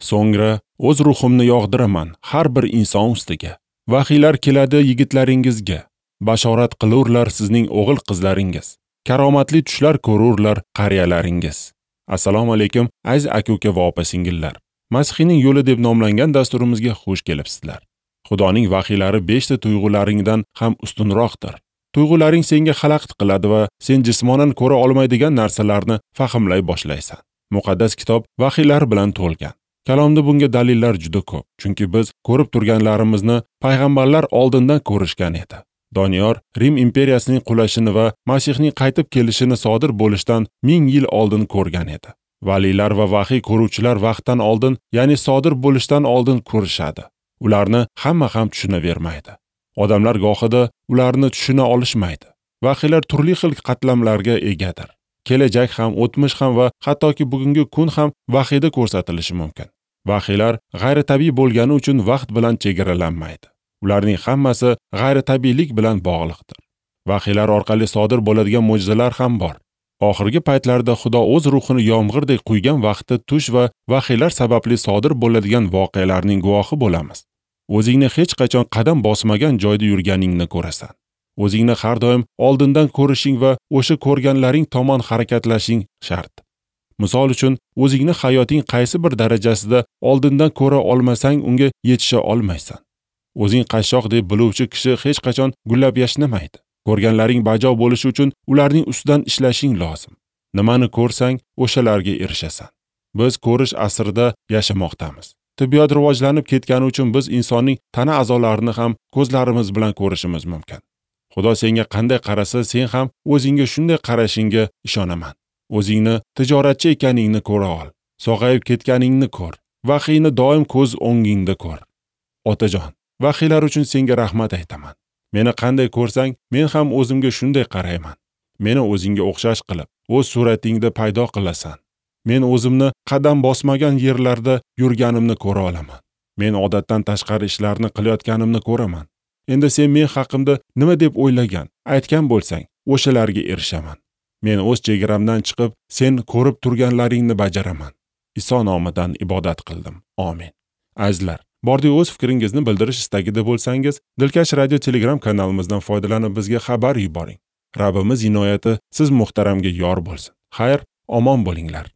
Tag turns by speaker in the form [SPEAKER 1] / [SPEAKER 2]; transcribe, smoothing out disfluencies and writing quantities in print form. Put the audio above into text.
[SPEAKER 1] So'ngra o'z ruhimni yog'diraman har bir inson ustiga. Vahiylar keladi yigitlaringizga, bashorat qilurlar sizning o'g'il qizlaringiz. Karomatli tushlar ko'rurlar qariyalaringiz. Assalomu alaykum aziz aka-uka va opa-singillar. Masihning yo'li deb nomlangan dasturimizga xush kelibsizlar. Xudoning vahiylari 5 ta tuyg'ularingdan ham ustunroqdir. Tuyg'ularing senga xalaqit qiladi va sen jismonan ko'ra olmaydigan narsalarni fahmlay boshlaysan. Muqaddas kitob vahiylar bilan to'lgan. Kalomda bunga dalillar juda ko'p, chunki biz ko'rib turganlarimizni payg'ambarlar oldindan ko'rishgan edi. Doniyor Rim imperiyasining qulashini va Masihning qaytib kelishini sodir bo'lishdan 1000 yil oldin ko'rgan edi. Valiylar va vahiy ko'ruvchilar vaqtdan oldin, ya'ni sodir bo'lishdan oldin ko'rishadi. Ularni hamma ham tushunavermaydi. Odamlar gohida ularni tushuna olishmaydi. Vahiylar turli xil qatlamlarga egadir. Kelajak ham, o'tmish ham va hattoki bugungi kun ham vahiyda ko'rsatilishi mumkin. Vahiylar g'ayritabiiy bo'lgani uchun vaqt bilan chegaralanmaydi. Ularning hammasi g'ayritabiiylik bilan bog'liqdir. Vahiylar orqali sodir bo'ladigan mo'jizalar ham bor. Oxirgi paytlarda Xudo o'z ruhini yomg'irdek quygan vaqtda tush va vahiylar sababli sodir bo'ladigan voqealarning guvohi bo'lamiz. O'zingni hech qachon qadam bosmagan joyda yurganingni ko'rasan. O'zingni har doim oldindan ko'rishing va o'sha ko'rganlaring tomon harakatlashing shart. Misol uchun, o'zingni hayoting qaysi bir darajasida oldindan ko'ra olmasang, unga yetisha olmaysan. O'zing qashshoq deb biluvchi kishi hech qachon gullab yashnamaydi. Ko'rganlaring bajo bo'lishi uchun ularning ustidan ishlashing lozim. Nimani ko'rsang, o'shalarga erishasan. Biz ko'rish asrida yashamoqdamiz. Tibbiyot rivojlanib ketgani uchun biz insonning tana a'zolarini ham ko'zlarimiz bilan ko'rishimiz mumkin. Xudo senga qanday qarasa, sen ham o'zingga shunday qarashingga ishonaman. O'zingni tijoratchi ekaningni ko'ra ol. Sog'ayib ketganingni ko'r. Vahiyni doim ko'z o'ngingda ko'r. Otajon, vahiylar uchun senga rahmat aytaman. Meni qanday ko'rsang, men ham o'zimga shunday qarayman. Meni o'zingga o'xshash qilib, o'z suratingda paydo qilasan. Men o'zimni qadam bosmagan yerlarda yurganimni ko'ra olaman. Men odatdan tashqari ishlarni qilayotganimni ko'raman. Endi sen men haqimda nima deb o'ylagan, aytgan bo'lsang, o'shalarga erishaman. Men o'z chegaramdan chiqib, sen ko'rib turganlaringni bajaraman. Iso nomidan ibodat qildim. Amin. Azizlar, bordi o'z fikringizni bildirish istagida bo'lsangiz, Dilkash radio Telegram kanalimizdan foydalanib bizga xabar yuboring. Rabbimiz inoyati siz muhtaramga yor bo'lsin. Xayr, omon bo'linglar.